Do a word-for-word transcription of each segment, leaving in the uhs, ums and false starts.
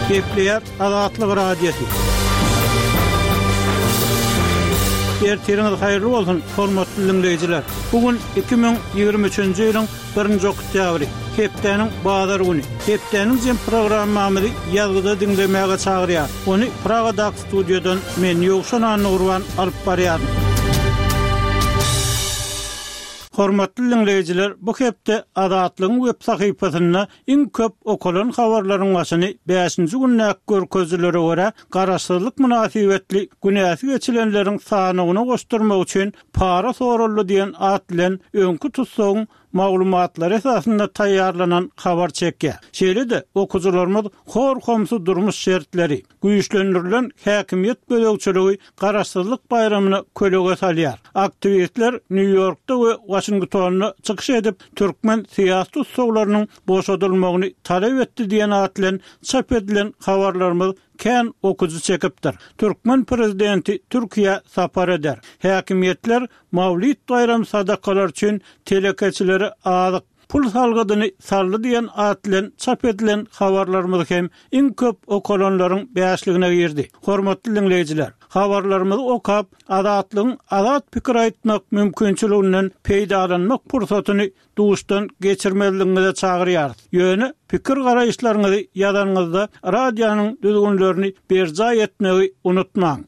Gepleýär Azatlyk Radiosy. Ertiriňiz haýyrly bolsun, hormatly diňleýjiler. Bu gün iki müň ýigrimi üçünji ýylyň birinji oktýabry, hepdäniň bazar güni. Hepdäniň jem programmamyzy ýazgyda diňlemäge çagyrýar. Ony Pragadaky studiýadan men Ýowşan Annagurban alyp barýaryn. Hormatly diňleýjiler, bu hepde Azatlygyň web sahypasynda iň köp okalan habarlaryň başyny bäşinji gündäki görkezijilere görä Garaşsyzlyk mynasybetli günäsi geçilenleriň sanyny goşdurmak üçin para soraldy diýen at bilen öňki tutsagyň maglumatlary esasynda taýýarlanan habar çekýär. Şeýle-de okyjylarymyz hor-homsy durmuş şertleri, güýçlendirilen häkimiýet gözegçiligi Garaşsyzlyk baýramyna kölege salýar. Aktiwistler Nýu-Ýorkda we Waşingtonda çykyş edip, türkmen syýasy tussaglarynyň boşadylmagyny talap etdi diýen at bilen çap edilen habarlarymyz kän okyjy çekipdir. Türkmen prezidenti Türkiýä sapar eder. Häkimiýetler Mawlid baýram sadakalary üçin telekeçilere azyk, pul salgydyny saldy diýen at bilen çap edilen habarlarymyz hem iň köp okalanlaryň bäşligine girdi. Hormatly diňleýjiler, habarlarymyzy okap, Azatlygyň azat pikir aýtmak mümkinçiliginden peýdalanmak pursatyny duşdan geçirmezligiňize çagyrýarys. Ýöne pikir-garaýyşlaryňyzy ýazanyňyzda radionyň düzgünlerini berjaý etmegi unutmaň.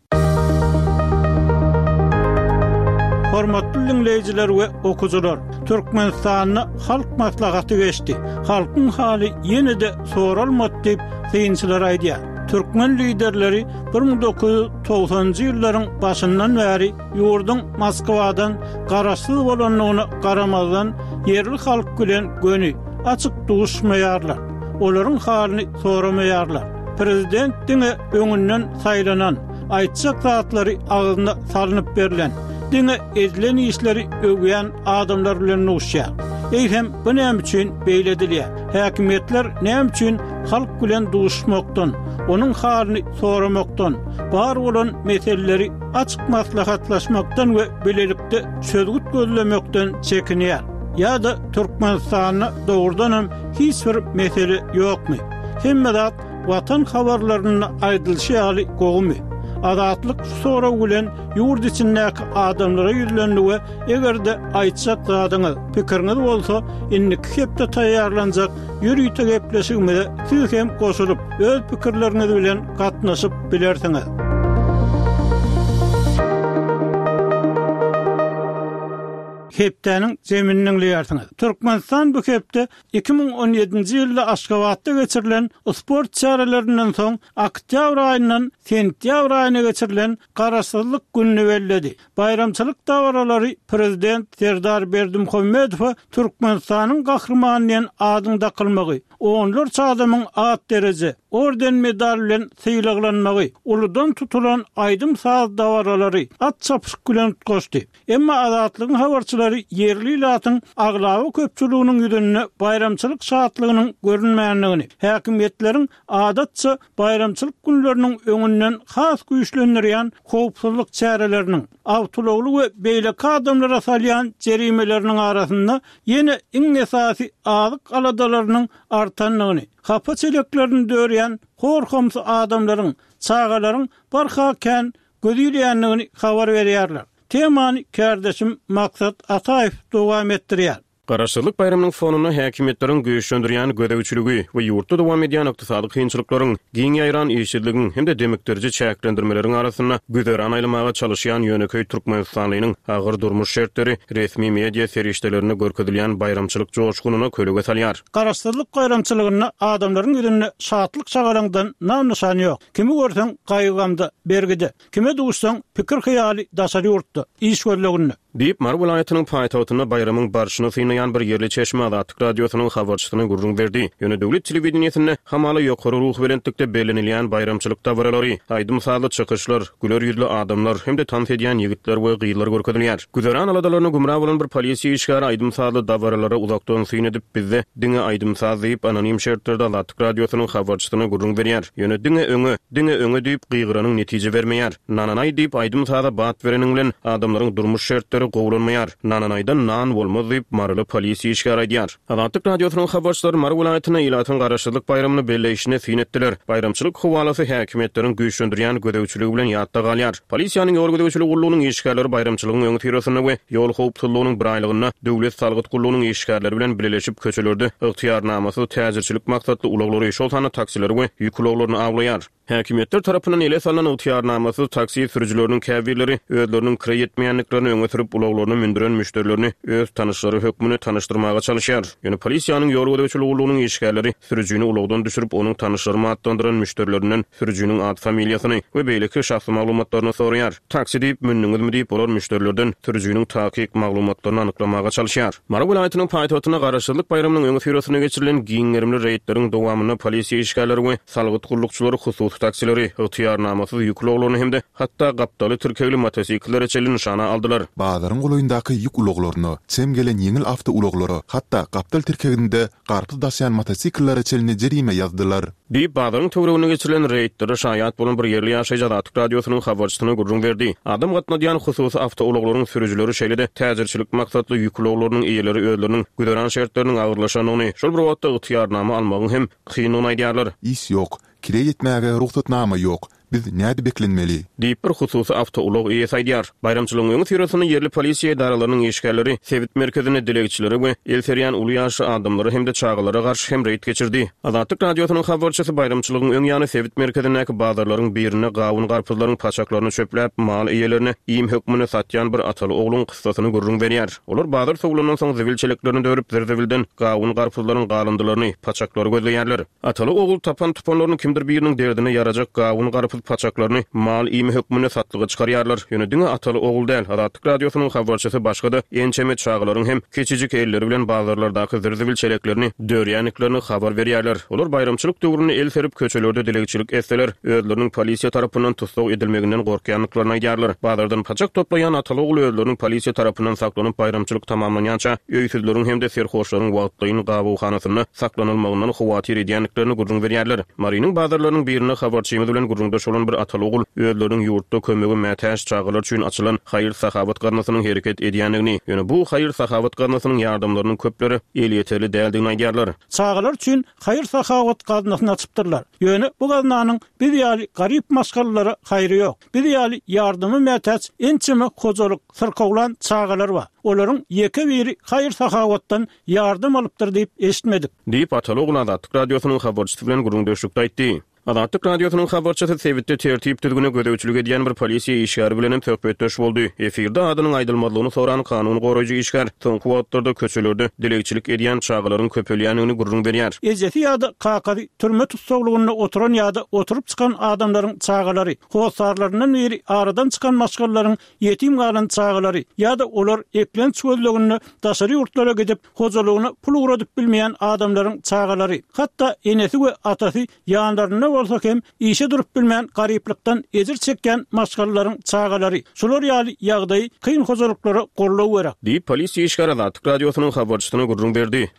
Hormatly diňleýjiler we okyjylar, Türkmenistanda Halk Maslahaty geçdi. Halkyň haly ýene-de soralmady diýip, synçylar aýdýar. Türkmen liderleri bir müň dokuz ýüz togsanynjy ýyllaryň başyndan bäri ýurduň Moskwadan garaşsyz bolandygyna garamazdan, ýerli halk bilen göni, açyk duşmaýarlar. Olaryň halyny soramaýarlar. Prezident diňe öňünden saýlanan, aýtjak zatlary agzyna salnyp berlen, diňe edilen işleri öwýän adamlar bilen duşýar. Eýsem, bu näme üçin beýle edilýär? Häkimiýetler näme üçin halk bilen duşmakdan, onuň halyny soramakdan, bar bolan meseleleri açyk maslahatlaşmakdan we bilelikde çözgüt gözlemekden çekinýär? Ýa-da Türkmenistanda dogrudan hem hiç bir mesele ýokmy? Hemme zat Watan habarlarynda aýdylyşy ýaly gowumy? Azatlyk şu sorag bilen ýurt içindäki adamlara ýüzlendi we eger-de aýtjak zadyňyz, pikiriňiz bolsa, indiki hepde taýýarlanjak ýörite gepleşigimize siz hem goşulyp, öz pikirleriňiz bilen gatnaşyp bilersiňiz. Hepdäniň jemini diňleýärsiňiz. Türkmenistan bu hepde iki müň on ýedinji ýylda Aşgabatda geçirilen sport çärelerinden soň oktýabr aýyndan sentýabr aýyna geçirilen Garaşsyzlyk gününi belledi. Baýramçylyk dabaralary Prezident Serdar Berdimuhamedowa Türkmenistanyň Gahrymany diýen adyň dakylmagy, onlarça adamyň at dereje, orden-medal bilen sylaglanmagy, uludan tutulan aýdym-saz dabaralary, at çapyşyk bilen utgaşdy. Emma Azatlygyň habarçylary ýerli ilatyň aglaba köpçüliginiň ýüzünde baýramçylyk şatlygynyň görünmändigini, häkimiýetleriň adatça baýramçylyk günleriniň öňünden has güýçlendirýän howpsuzlyk çäreleriniň, awtoulagly we beýleki adamlara salýan jerimeleriniň arasynda ýene iň esasy azyk aladalarynyň artandygyny, hapa çeleklerini dörýän hor-homsy adamlaryň, çagalaryň barha kän göz ilýändigini habar berýärler. Temany kärdeşim Maksat Ataýew dowam etdirýär. Garaşsyzlyk baýramynyň fonunda häkimiýetleriň güýçlendirýän gözegçiligi we ýurtda dowam edýän ykdysady kynçylyklaryň, giň ýaýran işsizligiň hem-de demikdiriji çäklendirmeleriň arasynda güzeran aýlamaga çalyşýan ýönekeý türkmenistanlynyň agyr durmuş şertleri resmi media serişdelerinde görkezilýän baýramçylyk joşgunyna kölege salýar. Garaşsyzlyk baýramçylygynda adamlaryň ýüzünde şatlyk-şagalaňdan nam-nyşan ýok. Kimi görseň gaýgy-gamda, bergide. Kime duşsaň, pikir-hyýaly daşary ýurtda, iş gözleginde. Diýip, Mary welaýatynyň paýtagtynda baýramyň barşyny synlaýan bir ýerli çeşme Azatlyk Radiosynyň habarçysyna gürrüň berdi. Ýöne döwlet telewideniýesinde hamala ýokary ruhubelentlikde bellenilýän baýramçylyk dabaralary, aýdym-sazly çykyşlar, güler ýüzli adamlar hem-de tans edýän ýigitler we gyzlar görkezilýär. Güzeran aladalaryna gümra bolan bir polisiýa işgäri aýdym-sazly dabaralara uzakdan syn edip, bizde diňe aýdym-saz diýip, anonim şertlerde Azatlyk Radiosynyň habarçysyna gürrüň berýär. Ýöne diňe öňe, diňe öňe diýip gygyranyň netije bermeýär. Nananaý diýip aýdym-saza bat bereniň bilen adamlaryň durmuş şertleri şertleri gowulanmaýar. Nananaýdan nan bolmaz diýip, maryly polisiýa işgäri aýdýar. Azatlyk Radiosynyň habarçylary Mary welaýatynda ilatyň Garaşsyzlyk baýramyny belleýşine syn etdiler. Baýramçylyk howalasy häkimiýetleriň güýçlendirýän gözegçiligi bilen ýatda galýar. Polisiýanyň ýol gözegçiligi gullugynyň işgärleri baýramçylygyň öňüsyrasynda we ýol howpsuzlygynyň biraýlygynda döwlet salgyt gullugynyň işgärleri bilen bileleşip köçelerde ygtyýarnamasyz täjirçilik maksatly ulaglary, şol sanda taksileri we ýük ulaglaryny awlaýar. Häkimiýetler tarapyndan ele salnan ygtyýarnamasyz taksi sürüjileriniň käbirleri özleriniň kireý etmeýändiklerini öňe sürüp, ulaglaryna mündüren müşderilerini öz tanyşlary hökmünde tanyşdyrmaga çalyşýar. Ýöne polisiýanyň ýol gözegçiligi gullugynyň işgärleri sürüjini ulagdan düşürip, onuň tanyşlarymy atlandyran müşderilerinden sürüjiniň at-familiýasyny we beýleki şahsy maglumatlaryny soraýar. Taksi diýip mündüňizmi diýip, olar müşderilerden sürüjiniň takyk maglumatlaryny anyklamaga çalyşýar. Mary welaýatynyň paýtagtynda Garaşsyzlyk baýramynyň öňüsyrasynda geçirilen giň gerimli reýdleriň dowamynda polisiýa işgärleri we salgyt gullukçylary hususy taksileri, ygtyýarnamasyz ýük ulaglaryny hem-de hatda gapdaly tirkegli motosikllere çenli nyşana aldylar. Bazaryň golaýyndaky ýük ulaglaryna, çem gelen ýeňil awtoulaglara, hatda gapdal tirkeginde garpyz daşaýan motosikllere çenli jerime ýazdylar. Diýip, bazaryň töwereginde geçirilen reýdlere şaýat bolan bir ýerli ýaşaýjy Azatlyk Radiosynyň habarçysyna gürrüň berdi. Adam gatnadýan hususy awtoulaglaryň sürüjileri, şeýle-de täjirçilik maksatly ýük ulaglarynyň eýeleri özleriniň güzeran şertleriniň agyrlaşandygyny, şol bir wagtda ygtyýarnama almagyň hem kyndygyny aýdýarlar. Iş ýok, kireý etmäge rugsatnama ýok. Biz nädip eklenmeli? Diýip, bir hususy awtoulag eýesi aýdýar. Baýramçylygyň öňüsyrasynda ýerli polisiýa edaralarynyň işgärleri sebit merkezinde dilegçilere we el serýän uly ýaşly adamlara hem-de çagalara garşy hem reýd geçirdi. Azatlyk Radiosynyň habarçysy baýramçylygyň öň ýany sebit merkezindäki bazarlaryň birinde gawun-garpyzlaryň paçaklaryny çöpläp, mal eýelerine iým hökmünde satýan bir ataly-ogluň kyssasyny gürrüň berýär. Olar bazar sowlandan soň zibil çeleklerini dörüp, zir-zibilden gawun-garpyzlaryň galyndylaryny, paçaklary gözleýärler. Ataly-ogul tapan-tupanlaryny kimdir biriniň derdine ýarajak gawun-garpyz paçaklaryny mal iými hökmünde satlyga çykarýarlar. Ýöne diňe ataly-ogul däl, Azatlyk Radiosynyň habarçysy başga-da ençeme çagalaryň hem kiçijik elleri bilen bazarlardaky zir-zibil çeleklerini dörýändiklerini habar berýärler. Olar baýramçylyk döwründe el serip köçelerde dilegçilik etseler, özleriniň polisiýa tarapyndan tussag edilmeginden gorkýandyklaryny aýdýarlar. Bazardan paçak toplaýan ataly-ogul özleriniň polisiýa tarapyndan saklanyp, baýramçylyk tamamlanýança öýsüzleriň hem-de serhoşlaryň wagtlaýyn gabawhanasynda saklanylmagyndan howatyr edýändiklerini gürrüň berýärler. Marynyň bazarlarynyň birinde habarçymyz bilen gürrüňdeş bolan bir ataly-ogul özleriniň ýurtda kömege mätäç çagalar üçin açylan haýyr-sahawat gaznasynyň hereket edýändigini, ýöne bu haýyr-sahawat gaznasynyň ýardamlarynyň köplere elýeterli däldigini aýdýarlar. Çagalar üçin haýyr-sahawat gaznasyny açypdyrlar. Ýöne bu gaznanyň biz ýaly garyp maşgalalara haýry ýok. Biz ýaly ýardyma mätäç ençeme hojalyk, syrkawlan çagalar bar. Olaryň ýeke biri haýyr-sahawatdan ýardam alypdyr diýip eşitmedik. Diýip, ataly-ogul Azatlyk Radiosynyň habarçysy bilen gürrüňdeşlikde aýtdy. Azatlyk Radiosynyň habarçysy sebitde tertip-düzgüne gözegçilik edýän bir polisiýa işgäri bilen hem söhbetdeş boldy. Efirde adynyň aýdylmazlygyny soran kanun goraýjy işgär soňky wagtlarda köçelerde dilegçilik edýän çagalaryň köpelýändigini gürrüň berýär. Ejesi ýa-da kakasy türme tussaglygynda oturan ýa-da oturyp çykan adamlaryň çagalary, hossarlaryndan biri aradan çykan maşgalalaryň ýetim galan çagalary ýa-da olar eklenç gözleginde daşary ýurtlara gidip, hojalygyna pul ugradyp bilmeýän adamlaryň çagalary, hatda enesi we atasy ýanlarynda bolsa hem işe durup bilmän garyplykdan ejir çekýän maşgalalaryň çagalary, şular ýaly ýagdaýy kyn hojalyklara goldaw gerek. Diýip, polisiýa işgäri Azatlyk Radiosynyň habarçysyna gürrüň berdi.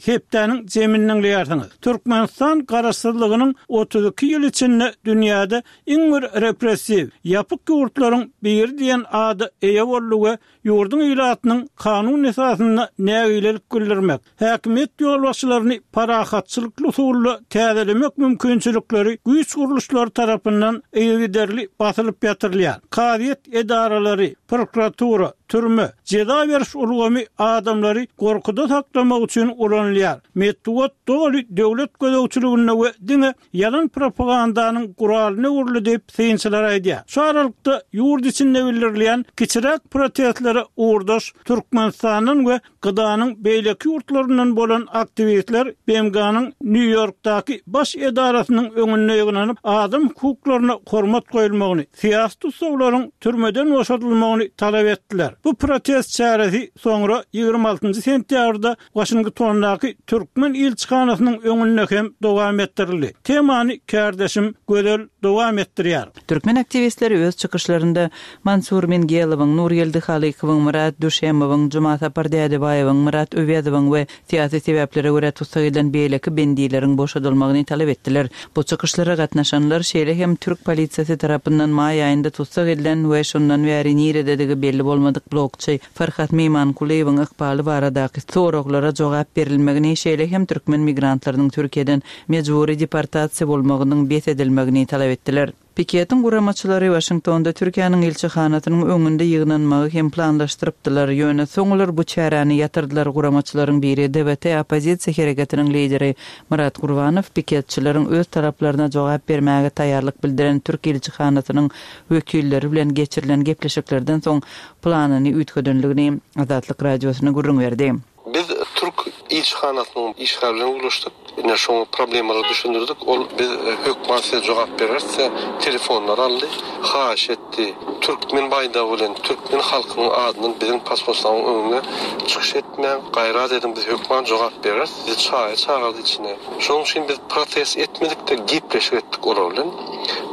Hepdäniň jemini diňleýärsiňiz. Türkmenistan garaşsyzlygynyň otuz iki ýyl içinde dünýäde iň bir repressiw, ýapyk ýurtlaryň biri diýen ada eýe boldy we ýurduň ilatynyň kanun esasynda nägilelik bildirmek, häkimiýet ýolbaşçylaryny parahatçylykly usulda täzelemek mümkinçilikleri güýç gurluşlary tarapyndan yzygiderli basylyp ýatyrylýar. Kazyýet edaralary, prokuratura, türme, jeza beriş ulgamy adamlary gorkuda saklamak üçin ulanylýar. Metbugat doly döwlet gözegçiliginde we diňe ýalan propagandanyň guralyna öwrüldi diýip, synçylar aýdýar. Şu aralykda ýurt içinde bildirilýän kiçiräk protestlere ugurdaş Türkmenistandan we G D A'nyň beýleki ýurtlaryndan bolan aktiwistler B M G-nyň Nýu-Ýorkdaky baş edarasynyň öňünde ýygnanyp, adam hukuklaryna hormat goýulmagyny, syýasy tussaglaryň türmeden boşadylmagyny talap etdiler. Bu protest çäresi soňra ýigrimi altynjy sentýabrda Waşingtondaky türkmen ilçihanasynyň öňünde hem dowam etdirildi. Temany kärdeşim Gözel dowam etdirýär. Türkmen aktiwistleri öz çykyşlarynda Mansur Mingelowyň, Nurgeldi Halykowyň, Myrat Düşemowyň, Jumasapar Dädebaýewiň, Myrat Öwezowyň we syýasy sebäplere görä tussag edilen beýleki bendileriň boşadylmagyny talap etdiler. Bu çykyşlara gatnaşanlar şeýle hem türk polisiýasy tarapyndan maý aýynda tussag edilen we şondan bäri nirededigi belli bolmadyk blogçy Farhat Meýmankulyýewiň ykbaly baradaky soraglara jogap berilmegini, şeýle hem türkmen migrantlarynyň Türkiýeden mejbury deportasiýa bolmagynyň bes edilmegini talap etdiler. Piketiň guramaçylary Waşingtonda Türkiýäniň ilçihanasynyň öňünde ýygnanmagy hem planlaşdyrypdylar. Ýöne soň olar bu çäräni ýatyrdylar. Guramaçylaryň biri D V T oppozisiýa hereketiniň lideri Myrat Gurbanow piketçileriň öz taraplaryna jogap bermäge taýýarlyk bildiren Türk ilçihanasynyň wekilleri bilen geçirilen gepleşiklerden soň planyny üýtgedenligini Azatlyk radiosyna gürrüň berdi. Biz Türk ilçihanasynyň işgärlerine ulaşdyk. Ine şoň problemalary düşündirdik. Ol biz hökman size jogap bererse telefonlar aldy, haýyş etdi. Türkmen baýdagy bilen türkmen halkynyň adyndan biziň pasportlaryň öňüne çykyş etmäň, gaýrat edin, biz hökman jogap bereris. Bizi çaýa çagyrdy içine. Şonuň üçin biz protest etmedik de gepleşik etdik olar bilen.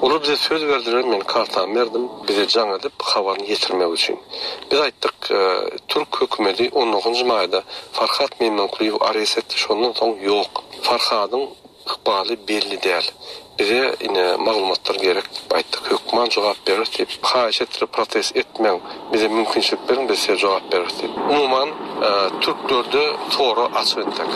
Olar bize söz berdiler, men kartamy berdim, bize jaň edip habaryny ýetirmek üçin. Biz aýtdyk, e, Türk hökümeti on dokuzynjy maýda Farhat Meýmankulyýew arest etdi, şondan soň ýok. Farhadyň ykbaly belli däl. Bize ine maglumatlar gerek diýip aýtdyk. Hökman jogap bereris diýip, haýyş etdirip protest etmäň, bize mümkinçilik beriň, biz size jogap bereris diýip. Umuman, e, türklerde soru açyk etdik.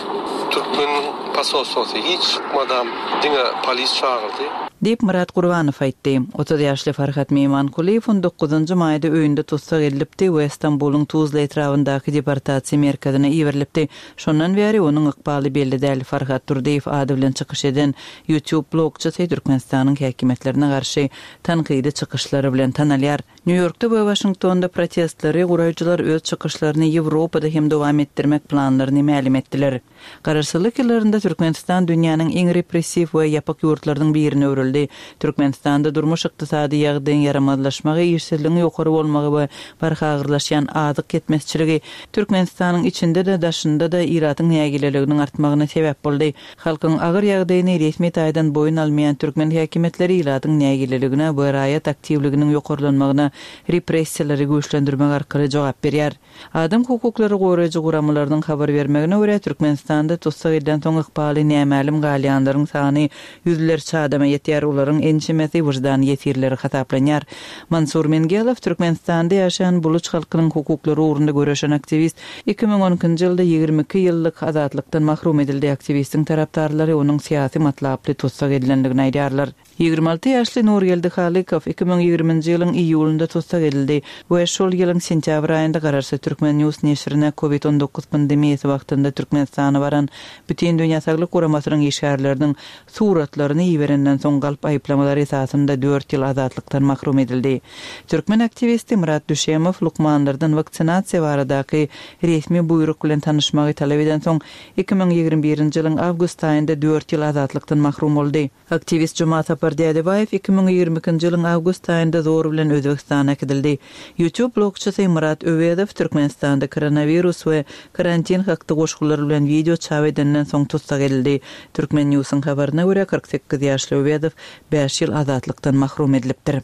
Türkmeniň pasolstwosy hiç çykmadam, diňe polis çagyrdy. Diýip Myrat Gurbanow aýtdy. Otuz ýaşly Farhat Meýmankulyýew on dokuzynjy maýda öýünde tussag edilipdi we Stambulyň Tuzla etrabyndaky deportasiýa merkezine iberilipdi. Şondan bäri onuň ykbaly belli däl. Farhat Durdyýew ady bilen çykyş eden YouTube blogçysy Türkmenistanyň häkimiýetlerine garşy tankydy çykyşlary bilen tanalýar. Nýu-Ýorkda we Waşingtonda protestleri guraýjylar öz çykyşlaryny Ýewropada hem dowam etdirmek planlaryny mälim etdiler. Garaşsyzlyk ýyllarynda Türkmenistan dünýäniň iň repressiw we ýapyk ýurtlarynyň birine öwrüldi. Türkmenistanda durmuş ykdysady ýagdaýyň ýaramazlaşmagy, işsizligiň ýokary bolmagy we barha agyrlaşýan azyk ýetmezçiligi Türkmenistanyň içinde-de daşynda-da ilatyň nägileliginiň artmagyna sebäp boldy. Halkyň agyr ýagdaýyny resmi taýdan boýun almaýan türkmen häkimiýetleri ilatyň nägileligine we raýat aktiwliginiň ýokarlanmagyna repressiýalary güýçlendirmek arkaly jogap berýär. Adam hukuklary goraýjy guramalarynyň habar bermegine görä Türkmenistanda tussag edilen soň ykbaly nämälim galýanlaryň sany ýüzlerçe adama ýetýär. Olaryň ençemesi wyždan ýesirleri hasaplanýar. Mansur Mengelow Türkmenistanda ýaşaýan Buluç halkynyň hukuklary ugrunda göreşen aktiwist iki müň on ikinji ýylda ýigrimi iki ýyllyk azatlykdan mahrum edildi. Aktiwistiň tarapdarlary onuň syýasy matlaply tussag edilendigini aýdýarlar. Ýigrimi alty ýaşly Nurgeldi Halykow iki müň ýigriminji ýylyň iýulynda tussag edildi we şol ýylyň sentýabr aýynda garaşsyz Türkmen News neşirine COVID on dokuz pandemiýasy wagtynda Türkmenistana baran Bütün Dünýä Saglyk Guramasynyň işgärleriniň suratlaryny iberenden soň galp aýyplamalar esasynda dört ýyl azatlykdan mahrum edildi. Türkmen aktiwisti Myrat Düşemow lukmanlardan waksinasiýa baradaky resmi buýruk bilen tanyşmagy talap eden soň iki müň ýigrimi birinji ýylyň awgust aýynda dört ýyl azatlykdan mahrum boldy. Aktiwist Jumasapar Dädebaýew iki müň ýigrimi ikinji ýylyň awgust aýynda zor bilen Özbekistana äkidildi. YouTube blogçysy Myrat Öwezow Türkmenistanda koronawirus we karantin hakda goşgular bilen video çap edenden soň tussag edildi. Türkmen News'yň habaryna görä kyrk sekiz ýaşly Öwezow bäş ýyl azatlykdan mahrum edilipdir.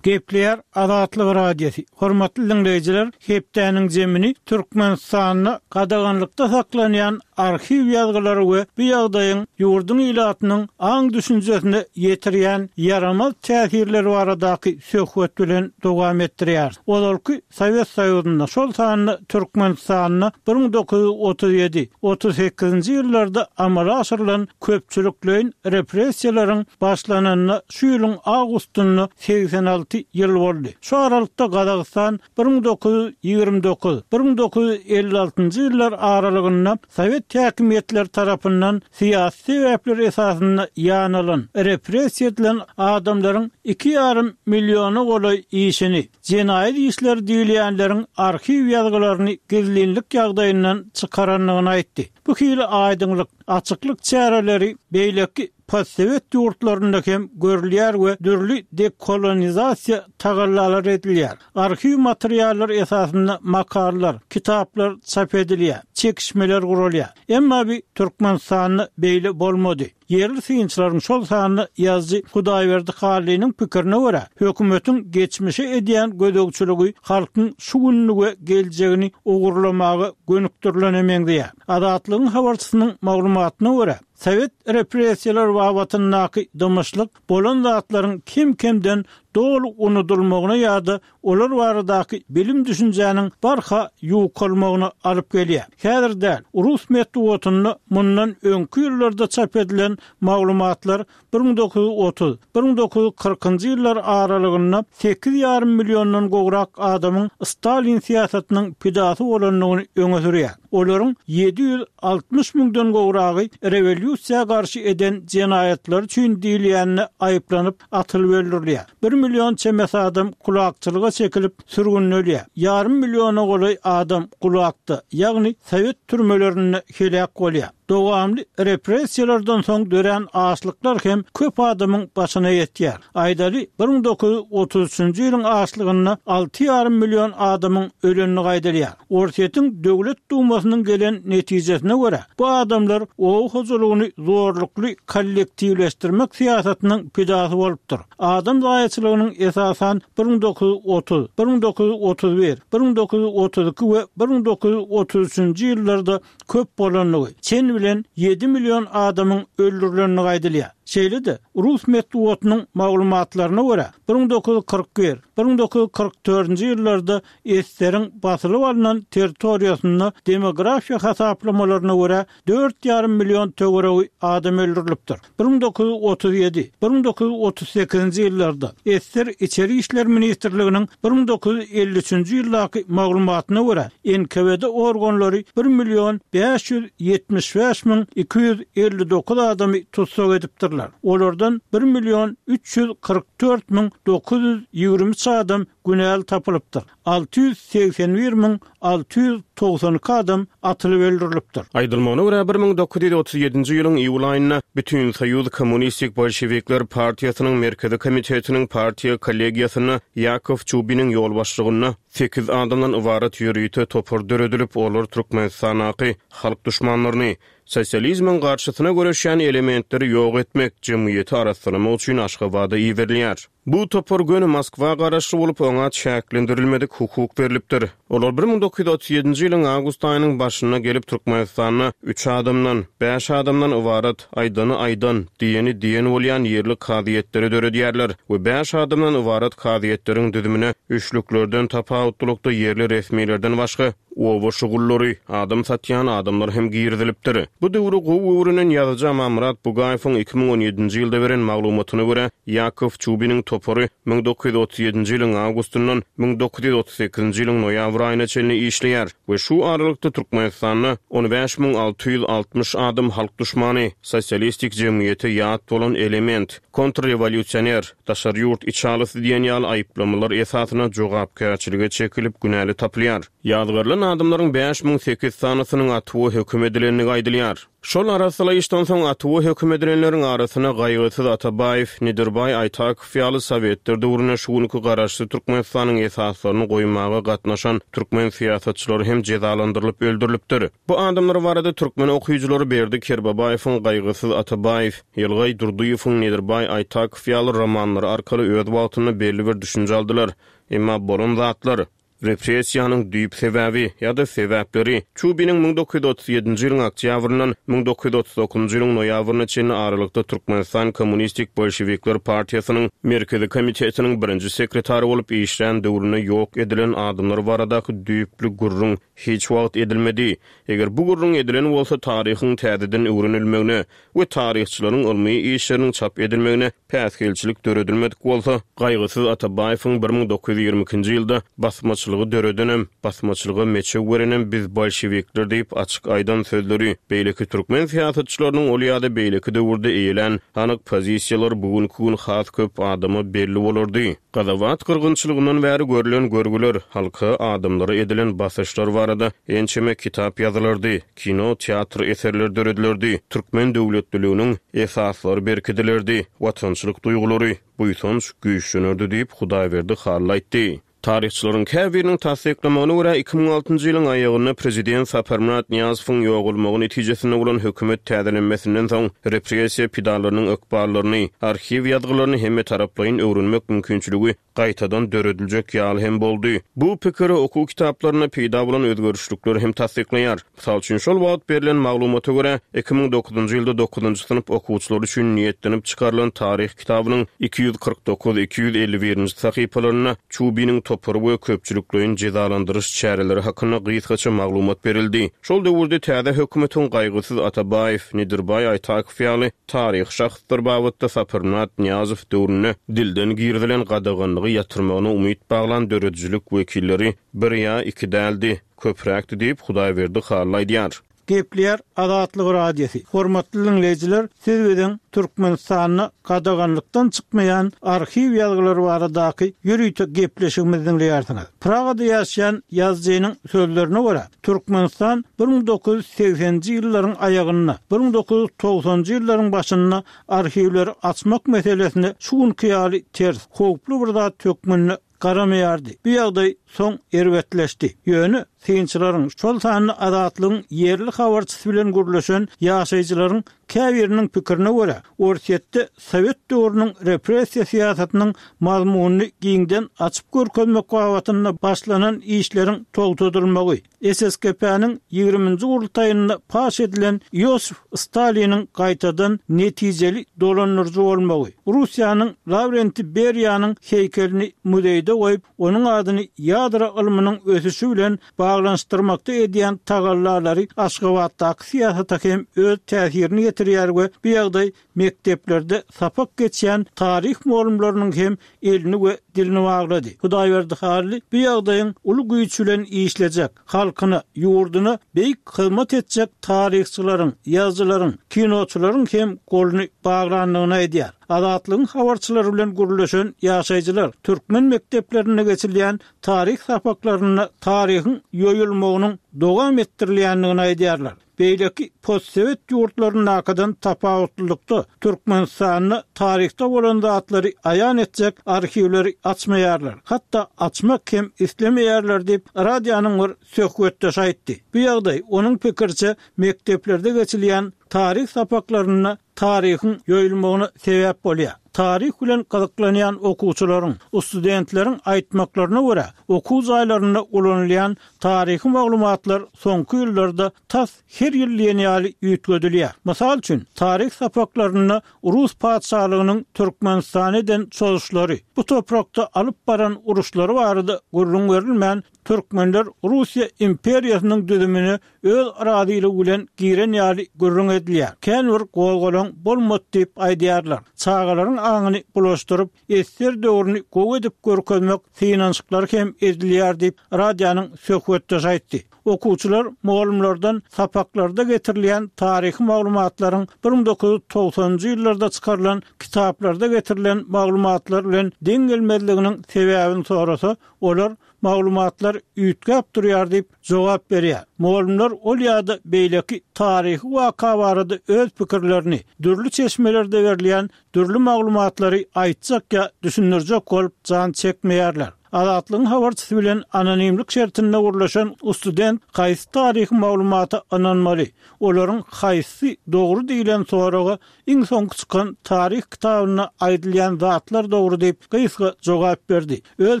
Gepleýär Azatlyk Radiosy. Hormatly dinleýjiler, hepdäniň zemini Türkmenistanda gadaganlykda saklanýan arhiw ýazgylary we bu ýagdaýyň ýurduň ilatynyň aň düşünjesine ýetirýän ýaramaz täsirleri baradaky söhbet bilen dowam etdirýär. Ozalky Sowet Soýuzynda, şol sanda Türkmenistanda bir müň dokuz ýüz otuz ýedi, otuz sekizinji ýyllarda amala aşyrylan köpçülikleýin repressiýalaryň başlananyna şu ýylyň awgustynda segsen alty ýyl boldy. Şu aralykda Gazagystan bir müň dokuz ýüz ýigrimi dokuz, bir müň dokuz ýüz elli altynjy ýyllar aralygynda Sowet häkimiýetleri tarapyndan syýasy sebäpler esasynda ýanylan, repressiýa edilen adamlaryň iki ýarym milliona golaý işini, jenaýat işleri diýilýänleriň arhiw ýazgylaryny gizlinlik ýagdaýyndan çykarandygyny aýtdy. Bu hili aýdyňlyk, açyklyk çäreleri beýleki postsowet ýurtlarynda hem görülýär we dürli dekolonizasiýa tagallalary edilýär. Arhiw materiallary esasynda makalalar, kitaplar çap edilýär, çekişmeler guralýar. Emma bi Türkmenistanda beýle bolmady. Ýerli synçylaryň şol sanda ýazyjy Hudaýberdi Hallynyň pikirine görä, hökümetiň geçmişe edýän gözegçiligi halkyň şu gününi we geljegini ogurlamaga gönükdirilene meňzeýär. Azatlygyň habarçysynyň maglumatyna görä, sowet repressiýalar babatyndaky dymyşlyk bolan zatlaryň kem-kemden doly unudylmagyna ýa-da olar baradaky bilim düşünjäniň barha ýukalmagyna alyp gelýär. Häzir däl, rus metbugatynda mundan öňki ýyllarda çap edilen maglumatlar bir müň dokuz ýüz otuz, bir müň dokuz ýüz kyrkynjy ýyllar aralygynda sekiz ýarym milliondan gowrak adamyň Stalin syýasatynyň pidasy bolandygyny öňe sürýär. Olaryň ýedi ýüz altmyş müňden gowragy rewolýusiýa garşy eden jenaýatlary üçin diýilýänine aýyplanyp atylyp öldürilýär. Bir million çemesi adam kulakçylyga çekilip sürgünlenýär. Ýarym milliona golaý adam kulakda, ýagny sowet türmelerinde heläk bolýar. Dowamly repressiýalardan soň dörän açlyklar hem köp adamyň başyna ýetýär. Aýdaly bir müň dokuz ýüz otuz üçünji ýylyň açlygynda alty ýarym million adamyň ölenini gaýdylýar. Orsýetiň döwlet dumasynyň gelen netijesine görä, bu adamlar oba hojalygyny zorlukly kollektiwleşdirmek syýasatynyň pidasy bolupdyr. Adam zaýaçylygynyň esasan bir müň dokuz ýüz otuz, bir müň dokuz ýüz otuz bir, bir müň dokuz ýüz otuz iki we bir müň dokuz ýüz otuz üçünji ýyllarda köp bolandygy, çen bilen ýedi million adamyň öldürilendigi aýdylýar. Şeýle-de, rus metbugatynyň maglumatlaryna görä, bir müň dokuz ýüz kyrk bir, bir müň dokuz ýüz kyrk dördünji ýyllarda Eseriň basylyp alnan territoriýasynda demografiýa hasaplamalaryna görä dört ýarym million töweregi adam öldürilipdir. Bir müň dokuz ýüz otuz ýedi, bir müň dokuz ýüz otuz sekizinji ýyllarda Eser İçeri İşler Ministrliginiň bir müň dokuz ýüz elli üçünji ýyldaky maglumatyna görä N K W D organlary bir million bäş ýüz ýetmiş bäş müň iki ýüz elli dokuz adamy tussag edipdirler. Olardan bir million üç ýüz kyrk dört müň dokuz ýüz ýigrimi üç adam günäli tapylypdyr. Alty ýüz segsen bir müň alty ýüz togsan iki adam atylyp öldürilipdir. Aýdylmagyna görä bir müň dokuz ýüz otuz ýedinji ýylyň iýul aýynda Bütün Soýuz Kommunistik Bolşevikler Partiýasynyň Merkezi Komitetiniň partiýa kollegiýasynda Ýakow Çubiniň ýolbaşçylygynda sekiz adamdan ybarat ýörite topar döredilip, olar Türkmenistandaky halk düşmanlaryny, sosializmiň garşysyna göreşýän elementleri ýok etmek, jemgyýeti arassalamak üçin Aşgabada iberilýär. Bu topar göni Moskwa garaşly bolup, oňa çäklendirilmedik hukuk berilipdir. Olar bir müň dokuz ýüz otuz ýedinji ýylyň awgust aýynyň başynda gelip Türkmenistanda üç adamdan, bäş adamdan ybarat aýdany aýdan, diýeni diýen bolýan ýerli kazyýetleri döredýärler we bäş adamdan ybarat kazyýetleriň düzümine üçlüklerden tapawutlylykda ýerli resmilerden başga oba şugullary, adam satýan adamlar hem girizilipdir. Bu döwri gowy öwrenen ýazyjy Amanmyrat Bugaýewiň iki müň on ýedinji ýylda beren maglumatyna görä, Ýakow Çubiniň topary müň dokuz ýüz otuz ýedinji ýylyň awgustyndan müň dokuz ýüz otuz sekizinji ýylyň noýabr aýyna çenli işleýär we şu aralykda Türkmenistanda on bäş müň alty ýüz altmyş adam halk düşmany, sosialistik jemgyýete ýat bolan element, kontrrewolýusioner, daşary ýurt içalysy diýen ýaly aýyplamalar esasyna jogapkärçilige çekilip günäli tapylýar. Ýazgarylan adamlaryň bäş müň sekiz sanysynyň atuwa höküm edilendigi aýdylýar. Şol arasalaýyşdan soň atuwa höküm edilenleriň arasyna Gaýgysyz Atabaýew, Nedirbaý Aýtakow ýaly Sowetler döwründe şu günki garaşsyz Türkmenistanyň esaslaryny goýmaga gatnaşan türkmen syýasatçylary hem jezalandyrylyp öldürilipdir. Bu adamlar barada türkmen okyjylary Berdi Kerbabaýewiň Gaýgysyz Atabaýew, Ýylgaý Durdyýewiň Nedirbaý Aýtakow ýaly romanlary arkaly öz wagtynda belli bir düşünje aldylar. Emma bolan zatlar repressiýanyň düýp sebäbi ýa-da sebäpleri Çubiniň müň dokuz ýüz otuz ýedinji ýylyň oktýabryndan müň dokuz ýüz otuz dokuzynjy ýylyň noýabryna çenli aralykda Türkmenistan Kommunistik Bolşevikler Partiýasynyň Merkezi Komitetiniň birinji sekretary bolup işlän döwründe ýok edilen adamlar baradaky düýpli gürrüň hiç wagt edilmedi. Eger bu gürrüň edilen bolsa taryhyň täzeden öwrenilmegine we taryhçylaryň ylmy işleriniň çap edilmegine päsgelçilik döredilmedik bolsa, Gaýgysyz Atabaýewiň bir müň dokuz ýüz ýigrimi ikinji ýylda basmaçylygy döredenem, basmaçylyga meçew berenem biz bolşevikler diýip açyk aýdan sözleri, beýleki türkmen syýasatçylarynyň ol ýa-da beýleki döwürde eýelän anyk pozisiýalar bugünkü gün has köp adama belli bolardy. Gazawat gyrgynçylygyndan bäri görülen görgüler, halka adamlara edilen basyşlar barada ençeme kitap ýazylardy, kino, teatr eserleri döredilerdi, türkmen döwletliliginiň esaslary berkidilerdi, watançylyk duýgulary, buýsanç güýçlenerdi diýip, Hudaýberdi Hally aýtdy. Taryhçylaryň käbiriniň tassyklamagyna görä, iki müň altynjy ýylyň aýagynda prezident Saparmyrat Nyýazowyň ýogalmagy netijesinde bolan hökümet täzelenmesinden soň repressiýa pidalarynyň ykballaryny, arhiw ýazgylaryny hemmetaraplaýyn öwrenmek mümkinçiligi gaýtadan dörediljek ýaly hem boldy. Bu pikiri okuw kitaplarynda peýda bolan özgerişlikler hem tassyklaýar. Mysal üçin, şol wagt berlen maglumata görä, iki müň dokuzynjy ýylda dokuzynjy synp okuwçylary üçin niýetlenip çykarylan taryh kitabynyň iki ýüz kyrk dokuz, iki ýüz elli birinji sahypalarynda Çubiniň topary we köpçülikleýin jezalandyryş çäreleri hakynda gysgaça maglumat berildi. Şol döwürde täze hökümetiň Gaýgysyz Atabaýew, Nedirbaý Aýtakow ýaly taryhy şahslar babatda Saparmyrat Nyýazow döwründe dilden girizilen gadaganlygy ýatyrmagyna umyt baglan döredijilik wekilleri bir ýa iki däldi, köpräkdi diýip Hudaýberdi Hally aýdýar. Gepleýär Azatlyk Radiosy. Hormatly dinleýjiler, siz biziň Türkmenistanda gadaganlykdan çykmaýan arhiw ýazgylary baradaky ýörite gepleşigimizi dinleýärsiňiz. Pragada ýaşaýan ýazyjynyň sözlerine görä, Türkmenistan bir müň dokuz ýüz segseninji ýyllaryň aýagynda, bir müň dokuz ýüz togsanjy ýyllaryň başynda arhiwleri açmak meselesine şu günki ýaly ters, howply bir zat hökmünde garamaýardy. Bu ýagdaý soň erbetleşdi. Ýöne synçylaryň, şol sanda Azatlygyň ýerli habarçysy bilen gürleşen ýaşaýjylaryň käbiriniň pikirine görä, Orsýetde Sowet döwrüniň repressiýa syýasatynyň mazmunyny giňden açyp görkezmek babatynda başlanan işleriň togtadylmagy, S S K P-niň ýigriminji gurultaýynda paş edilen Iosif Staliniň gaýtadan netijeli dolandyryjy bolmagy, Russiýanyň Lavrenti Beriýanyň heýkelini muzeýde goýup, onuň adyny ýadro ylmynyň ösüşi bilen baglanyşdyrmakda edýän tagallalary Aşgabatdaky syýasata hem öz täsirini getirýär we bu ýagdaý mekdeplerde sapak geçýän taryh mugallymlarynyň hem elini we dilini baglady. Hudaýberdi Hally bu ýagdaýyň uly güýç bilen işlejek, halkyna, ýurduna beýik hyzmat etjek taryhçylaryň, ýazyjylaryň, kinoçylaryň hem goluny baglandygyny aýdýar. Azatlygyň habarçylary bilen gürleşen ýaşaýjylar türkmen mekdeplerinde geçilýän taryh sapaklarynda taryhyň ýoýulmagynyň dowam etdirilýändigini aýdýarlar. Beýleki postsowet ýurtlaryndakydan tapawutlylykda Türkmenistanda taryhda bolan zatlary aýan etjek arhiwleri açmaýarlar. Hatda açmak hem islemeýärler diýip radionyň bir söhbetdeşi aýtdy. Bu ýagdaý onuň pikirçe mekdeplerde geçilýän taryh sapaklarynda taryhyň ýoýulmagyna sebäp bolýar. Taryh bilen gyzyklanýan okuwçylaryň, studentleriň aýtmaklaryna görä, okuw jaýlarynda ulanylýan taryhy maglumatlar soňky ýyllarda tas her ýyl diýen ýaly üýtgedilýär. Mysal üçin, taryh sapaklarynda Rus patyşalygynyň Türkmenistana eden çozuşlary, bu toprakda alyp baran uruşlary barada gürrüň berilmän, Türkmenler Russiýa imperiýasynyň düzümine öz razylygy bilen giren ýaly gürrüň edilýär. Kän bir gozgalaň bolmady diýip aýdýarlar. Çagalaryň aňyny bulaşdyryp, esser döwrüni gowy edip görkezmek synanyşyklary hem edilýär diýip radionyň söhbetdeşi aýtdy. Okuwçylar mugallymlardan sapaklarda getirilýän taryhy maglumatlaryň bir müň dokuz ýüz togsanjy ýyllarda çykarylan kitaplarda getirilen maglumatlar bilen deň gelmezliginiň sebäbini sorasa, olar maglumatlar üýtgäp durýar diýip jogap berýär. Mugallymlar ol ýa-da beýleki taryhy waka barada öz pikirlerini dürli çeşmelerde berilýän dürli maglumatlary aýtjak ýa düşündirjek bolup jan çekmeýärler. Azatlygyň habarçysy bilen anonimlik şertinde gurlaşan student haýsy taryhy maglumata ynanmaly, olaryň haýsy dogry diýlen soraga iň soňky çykan taryh kitabynda aýdylýan zatlar dogry diýip gysga jogap berdi. Öz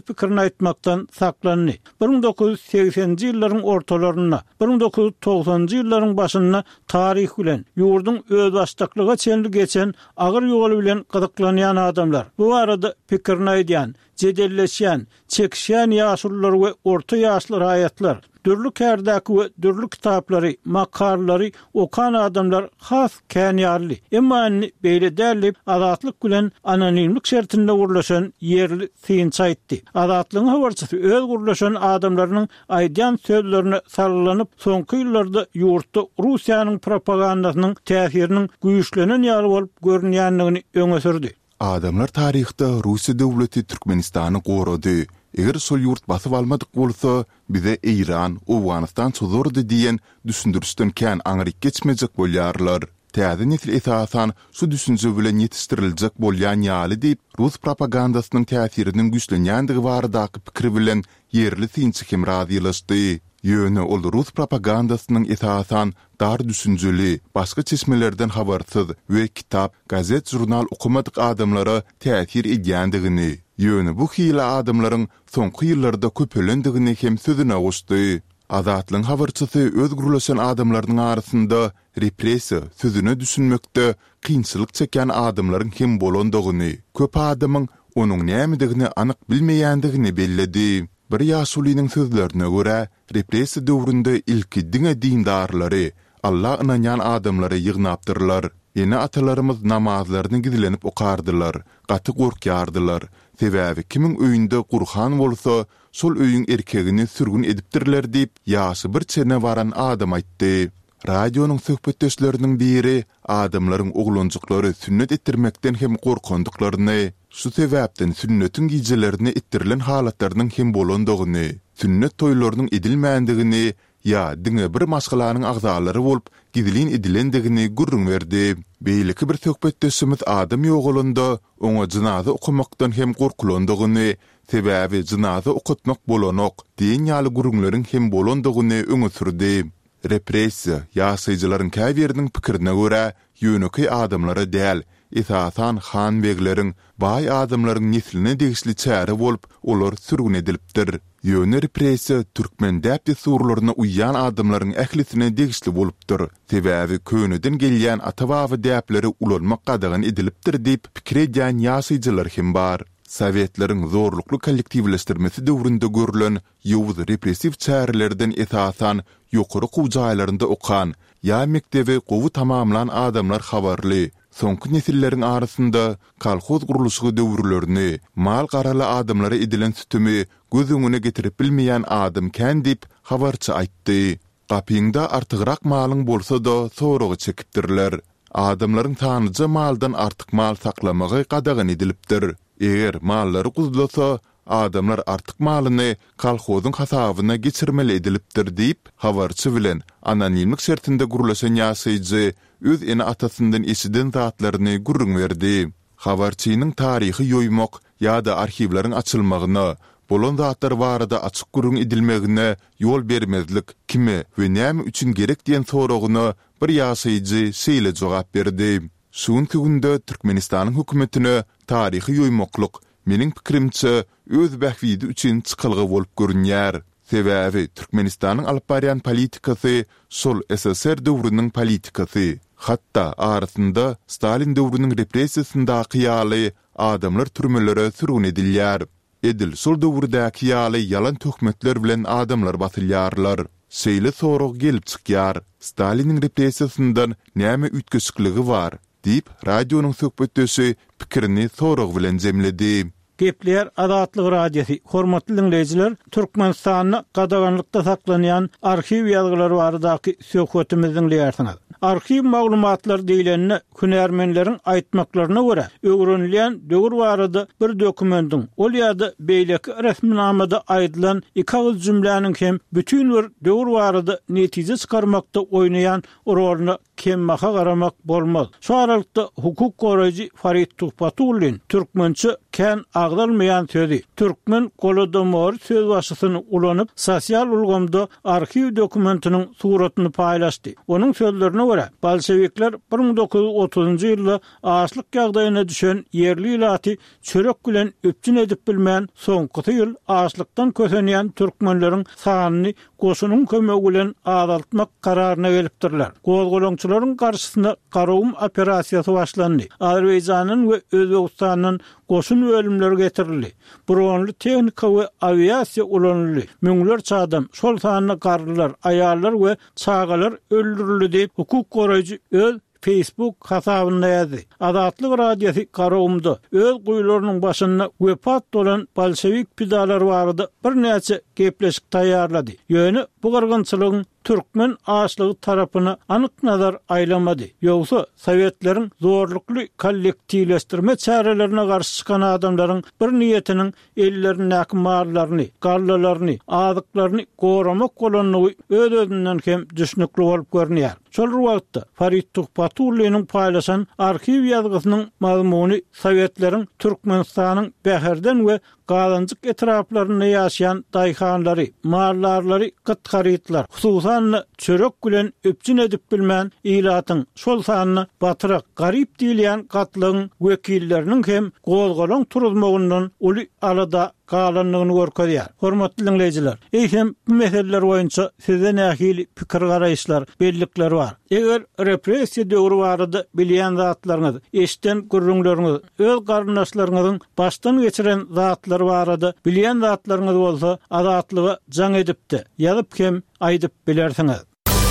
pikirini aýtmakdan saklandy. bir müň dokuz ýüz segseninji ýyllaryň ortalarynda, bir müň dokuz ýüz togsanjy ýyllaryň başynda taryh bilen, ýurduň özbaşdaklyga çenli geçen agyr ýoly bilen gyzyklanýan adamlar, bu barada pikirini aýdýan, jedelleşýän, çekişýän ýaşulular we orta ýaşly raýatlar, dürli kärdäki we dürli kitaplary, makalary okan adamlar has kän ýalydy. Emma indi beýle däl diýip, Azatlyk bilen anonimlik şertinde gurlaşan ýerli synçy aýtdy. Azatlygyň habarçysy öz gurlaşan adamlarynyň aýdýan sözlerine salgylanyp, soňky ýyllarda ýurtda Russiýanyň propagandasynyň täsiriniň güýçlenen ýaly bolup görünýändigini öňe sürdi. Adamlar taryhda Russiýa döwleti Türkmenistany gorady, Eger şol ýurt basyp almadyk bolsa, bize Eýran, Owganystan çozardy diýen düşündirişden kän aňryk geçmejek bolýarlar. Täze nesil esasan şu düşünje bilen ýetişdiriljek bolýan ýaly diýip, rus propagandasynyň täsiriniň güýçlenýändigi baradaky pikir bilen ýerli synçy hem razylaşdy. Ýöne ol rus propagandasynyň esasan dar düşünjeli, başga çeşmelerden habarsyz we kitap, gazet-žurnal okamadyk adamlara täsir edýändigini, ýöne bu hili adamlaryň soňky ýyllarda köpelendigini hem sözüne goşdy. Azatlygyň habarçysy öz gürleşen adamlarynyň arasynda repressiýa sözüne düşünmekde kynçylyk çekýän adamlaryň hem bolandygyny, köp adamyň onuň nämedigini anyk bilmeýändigini belledi. Bir ýaşulynyň sözlerine görä, repressiýa döwründe ilki diňe dindarlary, Alla ynanýan adamlary ýygnapdyrlar. Ene-atalarymyz namazlaryny gizlenip okardylar, gaty gorkýardylar. Sebäbi kimiň öýünde Gurhan bolsa, şol öýüň erkegini sürgün edipdirler diýip, ýaşy bir çene baran adam aýtdy. Radionyň söhbetdeşleriniň biri adamlaryň oglanjyklary sünnet etdirmekden hem gorkandyklaryny, şu sebäpden sünnetiň gijelerine etdirilen halatlarynyň hem bolandygyny, sünnet toýlarynyň edilmändigini ýa diňe bir maşgalanyň agzalary bolup gizlin edilendigini gürrüň berdi. Beýleki bir söhbetdeşimiz adam ýogalanda oňa jynaza okamakdan hem gorkulandygyny, sebäbi jynaza okatmak bolanok diýen ýaly gürrüňleriň hem bolandygyny öňe sürdi. Repressiýa, ýaşaýjylaryň käbiriniň pikirine görä, ýönekeý adamlara däl, esasan han-begleriň, baý adamlaryň nesline degişli çäre bolup, olar sürgün edilipdir. Ýöne repressiýa türkmen däp-dessurlaryna uýýan adamlaryň ählisine degişli bolupdyr, sebäbi köneden gelýän ata-baba däpleri ulanmak gadagan edilipdir diýip pikir edýän ýaşaýjylar hem bar. Sowetleriň zorlukly kollektiwleşdirmesi döwründe görlen ýowuz repressiw çärelerden esasan ýokary okuw jaýlarynda okan ýa mekdebi gowy tamamlan adamlar habarly. Soňky nesilleriň arasynda kolhoz gurluşygy döwürlerini, mal-garaly adamlara edilen sütemi göz öňüne getirip bilmeýän adam kän diýip, habarçy aýtdy. Gapyňda artygrak malyň bolsa-da soraga çekipdirler. Adamlaryň sanlyja maldan artyk mal saklamagy gadagan edilipdir. Eger mallary guzlasa, adamlar artyk malyny kolhozyň hasabyna geçirmeli edilipdir diýip, habarçy bilen anonimlik şertinde gürleşen ýaşaýjy öz ene-atasyndan eşiden zatlaryny gürrüň berdi. Habarçynyň taryhy ýoýmak ýa-da arhiwleriň açylmagyna, bolan zatlar barada açyk gürrüň edilmegine ýol bermezlik kime we näme üçin gerek diýen soragyna bir ýaşaýjy şeýle jogap berdi, Şu günki günde Türkmenistanyň hökümetine taryhy ýoýmaklyk, meniň pikirimçe, öz bähbidi üçin çykalga bolup görünýär. Sebäbi Türkmenistanyň alyp barýan politikasy şol ssr döwrüniň politikasy. Hatda arasynda Stalin döwrüniň repressiýasyndaky ýaly adamlar türmelere sürgün edilýär. Edil şol döwürdäki ýaly ýalan töhmetler bilen adamlar basylýarlar. Şeýle sorag gelip çykýar, Staliniň repressiýasyndan näme üýtgeşikligi bar? Diýip, radionyň söhbetdeşi pikirini sorag bilen jemledi. Gepleýär Azatlyk Radiosy, Hormatly diňleýjiler, Türkmenistanda gadaganlykda saklanýan arhiw ýazgylary baradaky söhbetimizi diňleýärsiňiz. Arhiw maglumatlary diýlende, hünärmenleriň aýtmaklaryna görä, öwrenilýän döwür barada bir dokumendiň, ol ýa-da beýleki resminamada aýdylan iki agyz jümläniň hem bütin bir döwür barada netije çykarmakda oýnaýan roluna kembaha garamak bolmaz. Şu aralykda hukuk goraýjy Farid Tuhbatullin türkmençe kän agzalmaýan sözi, türkmen golodomory sözbaşysyny ulanyp, sosial ulgamda arhiw dokumentiniň suratyny paýlaşdy. Onuň sözlerine görä, bolşewikler bir müň dokuz ýüz otuzynjy ýylda açlyk ýagdaýyna düşen ýerli ilaty çörek bilen üpjün edip bilmän, soňkusy ýyl açlykdan kösenýän türkmenleriň sanyny goşunyň kömegi bilen azaltmak kararyna gelipdirler. Gozgalaňçylaryň garşysyna Garagum operasiýasy başlandy. Azerbaýjandan we Özbegistandan goşun bölümleri getirildi. Bronly tehnika we awiasiýa ulanyldy. Müňlerçe adam, şol sanda garrylar, aýallar we çagalar öldürildi diýip, hukuk goraýjy öz Facebook hasabynda ýazdy. Azatlyk Radiosy Garagumda öz guýularynyň başynda wepat bolan bolşewik pidalary barada birnäçe gepleşik taýýarlady. Ýöne bu gyrgynçylygyň türkmen açlygy tarapyna anyk nazar aýlamady. Ýogsa sowetleriň zorlukly kollektiwleşdirme çärelerine garşy çykan adamlaryň bir niýetiniň ellerindäki mallaryny, gallalaryny, azyklaryny goramak bolandygy öz-özünden hem düşnükli bolup görünýär. Şol bir wagtda Farid Tuhbatulliniň paýlaşan arhiw ýazgysynyň mazmuny sowetleriň Türkmenistanyň Bäherden we Gazanjyk etraplarynda ýaşaýan daýhanlary, maldarlary gyt harytlar, hususan-da çörek bilen üpjün edip bilmän, ilatyň, şol sanda batyrak, garyp diýilýän gatlagyň wekilleriniň hem gozgalaň turuzmagyndan uly alada galandygyny görkezýär. Hormatly diňleýjiler, eýsem bu meseleler boýunça sizde nähili pikir-garaýyşlar, bellikler bar? Eger repressiýa döwri barada bilýän zatlaryňyz, eşiden gürrüňleriňiz, öz garyndaşlaryňyzyň başdan geçiren zatlary barada bilýän zatlaryňyz bolsa, Azatlyga jaň edip-de, ýazyp hem aýdyp bilersiňiz.